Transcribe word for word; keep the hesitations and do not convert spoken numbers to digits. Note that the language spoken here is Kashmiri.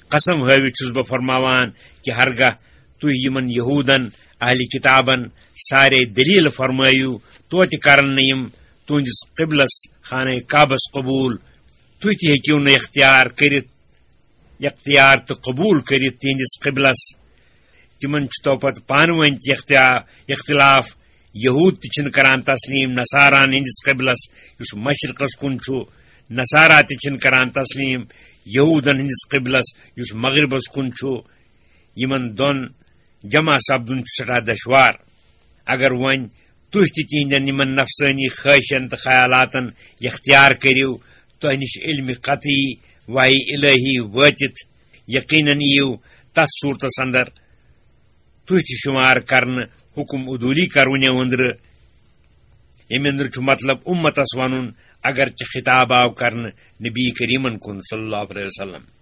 قسم ہٲوِتھ چھُس بہٕ فرماوان کہِ ہرگاہ تُہۍ یِمن یہوٗدن، اہلِ کِتابن، سارے دٔلیٖل فرمٲیِو، توتہِ کرن نہٕ یِم تُہنٛدِس قبلس، خانہ کعبس قبوٗل۔ تُہۍ تہِ ہیٚکِو نہٕ اختیار کٔرِتھ، اختیار تہٕ قبوٗل کٔرِتھ تِہنٛدِس قبلس۔ تِمن چھُ تو پتہٕ پانہٕ ؤنۍ تہِ اختیا-، اختلاف۔ یہوٗد تہِ چھِنہٕ کران تسلیٖم نصاراہن ہٕنٛدِس قبلس، یُس مشرقس کُن چھُ۔ نصارا تہِ چھِنہٕ کران تسلیٖم یہوٗدن ہٕنٛدِس قبلس، یُس مغربس کُن چھُ۔ یِمن دۄن جمع سپدُن چھُ سٮ۪ٹھاہ دشوار۔ اگر وۄنۍ تُہۍ تہِ تِہنٛدٮ۪ن یِمن نفسٲنی خٲہشن تہٕ خیالاتن اختیار کٔرِو، تۄہہِ نِش علمِ قطعی، وحی الہی وٲتِتھ، یقیناً یِیِو تتھ صورتس اندر تُہۍ تہِ شُمار کرنہٕ حُکم عدوٗلی کرونہِ أنٛدرٕ۔ ییٚمہِ أنٛدرٕ چھُ مطلب اُمتس ونُن، اگرچہِ خطاب آو کرنہٕ نبی کریٖمن کُن صلی اللہ علیہ وسلم۔